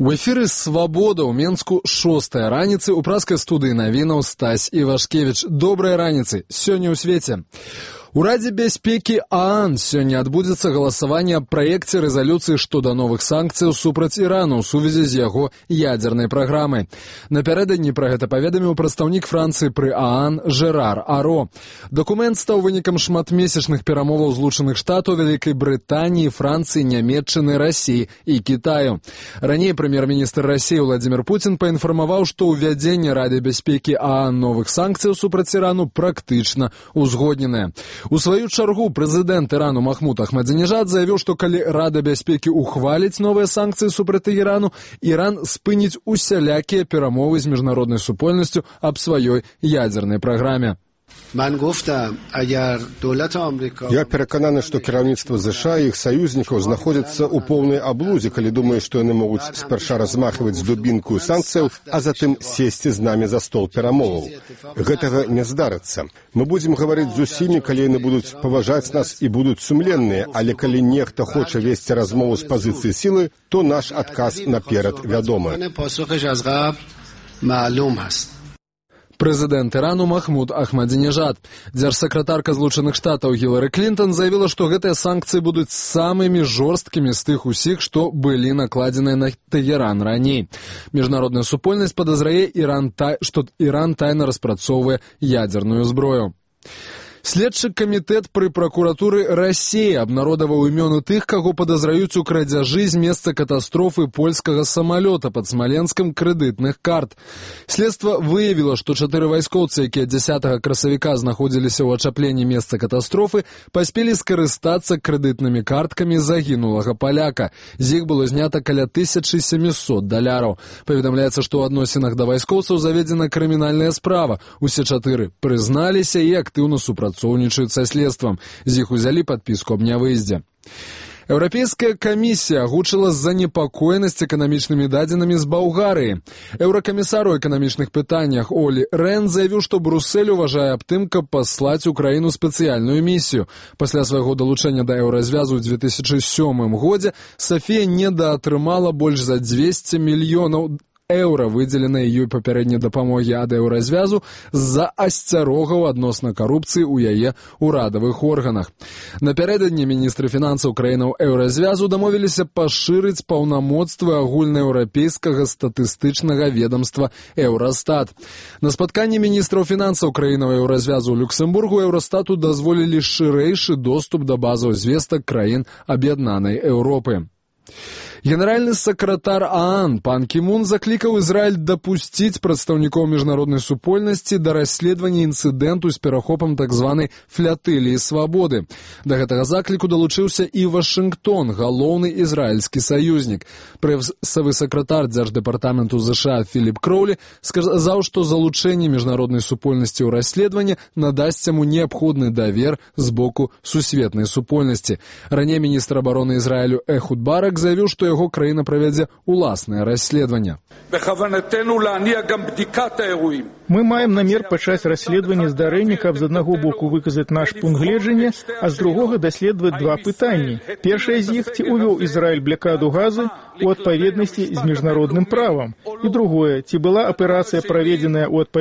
У эфіры «Свабода» ў Менску 6-я раніцы ў праскай студыі навінаў Стась Івашкевіч. Добрай раніцы. Сёння ў свеце. У Радзе бяспекі ААН сёння адбудзецца галасаванне аб праекце рэзалюцыі шчодо новых санкцыяў супраць Ірану ў сувязі з яго ядзернай праграмай. Напярэдадні пра гэта паведаміў прадстаўнік Францыі пры ААН Жерар Аро. Дакумент стаў вынікам шматмесячных перамоваў Злучаных Штатаў, Вялікай Брытаніі, Францыі, Нямецчыны, Расіі і Кітаю. Раней прэм'ер-міністр Расіі Владзімір Пуцін паінфармаваў, што ўвядзенне Рады бяспекі ААН новых санкцыяў супраць Ірану практычна узгодненае. У сваю чаргу прэзідэнт Ірану Махмуд Ахмадзінежад заявіў, што калі Рада бяспекі ухваліць новыя санкцыі супраць Ірану, Іран спыніць усялякія перамовы з міжнароднай супольнасцю аб сваёй ядзернай праграме. Я перакананы, што кіраўніцтва ЗША і іх саюзнікаў знаходзяцца ў поўнай аблудзе, калі думаюць, што яны могуць спярша размахваць дубінку санкцыяў, а затым сесці з намі за стол перамоваў. Гэтага не здарыцца. Мы будзем гаварыць з усімі, калі яны будуць паважаць нас і будуць сумленныя, але калі нехта хоча весці размову з пазіцыі сілы, то наш адказ наперад вядомы. Прэзідэнт Ірану Махмуд Ахмадзінежад. Дзяржсакратарка Злучаных Штатаў Гілары Клінтон заявіла, што гэтыя санкцыі будуць самымі жорсткімі з тых усіх, што былі накладзеныя на Тэгеран раней. Міжнародная супольнасць падазрае, што Іран тайна распрацоўвае ядзерную зброю. Следчы камітэт пры пракуратуры Расіі абнародаваў імёны тых, каго падазраюць у крадзяжы з месца катастрофы польскага самалёта пад Смаленскам крэдытных карт. Следства выявіла, што 4 вайскоўцы, якія 10 красавіка знаходзіліся ў ачапленні месца катастрофы, паспелі скарыстацца крэдытнымі карткамі загінулага паляка. З іх было знята каля $1700. Паведамляецца, што ў адносінах да вайскоўцаў заведзена крымінальная справа. Усе 4 прызналіся і актыўна супрацоўнічаюць са следствам. З іх узялі падпіску аб нявыездзе. Еўрапейская камісія агучыла занепакоенасць эканамічнымі дадзенымі з Балгарыі. Еўракамісар у эканамічных пытаннях Олі Рен заявіў, што Брюссель уважае аб тым, каб паслаць у краіну спецыяльную місію. Пасля свайго далучэння да еўразвязу ў 2007 годзе Сафія недаатрымала больш за 200 мільёнаў еўра, выдзеленыя ёй папярэдняй дапамогі ад еўразвязу з-за асцярогаў адносна карупцыі ў яе ўрадавых органах. Напярэдадні міністры фінансаў краінаў еўразвязу дамовіліся пашырыць паўнамоцтвы агульнаеўрапейскага статыстычнага ведамства Еўрастат. На спатканні міністраў фінансаў краінаў еўразвязу ў Люксембургу Еўрастату дазволілі шырэйшы доступ да базаў звестак краін Аб'яднанай Еўропы. Генеральны сакратар ААН пан Кі Мун заклікаў Ізраіль дапусціць прадстаўнікоў міжнароднай супольнасці да расследавання інцыдэнту з перахопам так званай флятыліі свабоды. Да гэтага закліку далучыўся і Вашынгтон, галоўны ізраільскі саюзнік. Прэсавы сакратар дзярждэпартаменту ЗША Філіп Кроулі сказаў, што залучэнне міжнароднай супольнасці ў расследаванне надасць яму неабходны давер з боку сусветнай супольнасці. Раней міністр абароны Ізраілю Эхуд Барак заявіў, што яго краіна правядзе уласнае расследаванне. Мы маем намер пачаць расследаванне здарэння, каб з аднаго боку выказаць наш пункт гледжання, а з другога даследаваць два пытанні. Першае з іх, ці увёў Ізраіль блакаду газы у адпаведнасці з міжнародным правам. І другое, ці была аперацыя праведзеная ў адпаведнасці